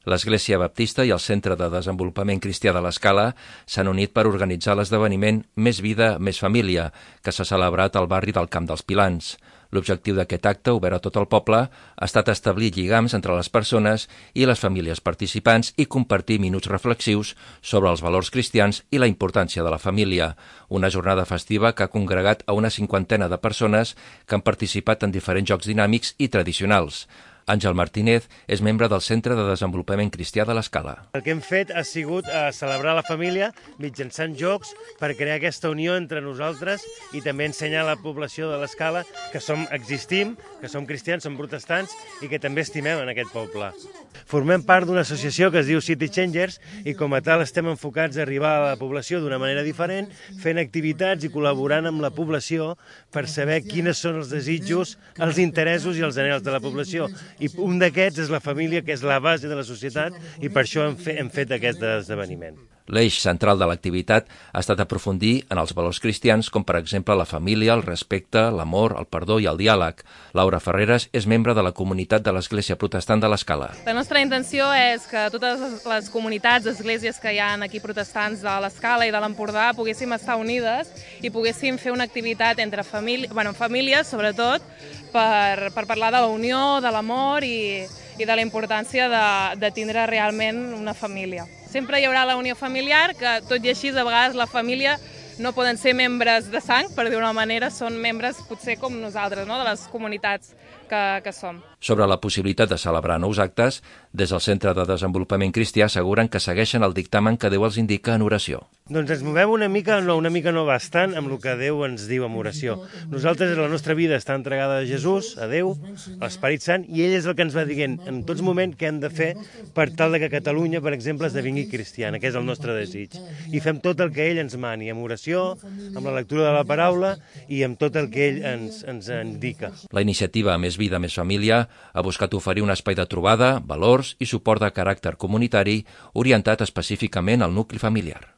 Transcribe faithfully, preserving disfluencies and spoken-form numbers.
L'Església Baptista i el Centre de Desenvolupament Cristià de l'Escala s'han unit per organitzar l'esdeveniment Més vida, més família, que s'ha celebrat al barri del Camp dels Pilans. L'objectiu d'aquest acte, obert a tot el poble, ha estat establir lligams entre les persones i les famílies participants i compartir minuts reflexius sobre els valors cristians i la importància de la família. Una jornada festiva que ha congregat a una cinquantena de persones que han participat en diferents jocs dinàmics i tradicionals. Àngel Martínez és membre del Centre de Desenvolupament Cristià de l'Escala. El que hem fet ha sigut eh, celebrar la família mitjançant jocs per crear aquesta unió entre nosaltres i també ensenyar a la població de l'Escala que som, existim, que som cristians, som protestants i que també estimem en aquest poble. Formem part d'una associació que es diu City Changers i com a tal estem enfocats a arribar a la població d'una manera diferent, fent activitats i col·laborant amb la població per saber quines són els desitjos, els interessos i els anhels de la població. I un d'aquests és la família, que és la base de la societat, i per això hem, fe, hem fet aquest esdeveniment. L'eix central de l'activitat ha estat aprofundir en els valors cristians, com per exemple la família, el respecte, l'amor, el perdó i el diàleg. Laura Ferreres és membre de la comunitat de l'Església Protestant de l'Escala. La nostra intenció és que totes les comunitats, esglésies que hi ha aquí protestants de l'Escala i de l'Empordà poguéssim estar unides i poguéssim fer una activitat entre famílies, bueno, famílies sobretot, per, per parlar de la unió, de l'amor i, i de la importància de, de tindre realment una família. Sempre hi haurà la unió familiar, que tot i així, a vegades la família no poden ser membres de sang, per dir-ho d'una manera, són membres potser com nosaltres, no?, de les comunitats que, que som. Sobre la possibilitat de celebrar nous actes, des del Centre de Desenvolupament Cristià asseguren que segueixen el dictamen que Déu els indica en oració. Doncs ens movem una mica, no, una mica no bastant, amb el que Déu ens diu en oració. Nosaltres, la nostra vida està entregada a Jesús, a Déu, a l'Esperit Sant, i ell és el que ens va dient en tots moments què hem de fer per tal de que Catalunya, per exemple, esdevingui cristiana, que és el nostre desig. I fem tot el que ell ens mani, amb oració, amb la lectura de la paraula i amb tot el que ell ens, ens indica. La iniciativa Més vida, més família ha buscat oferir un espai de trobada, valors i suport de caràcter comunitari orientat específicament al nucli familiar.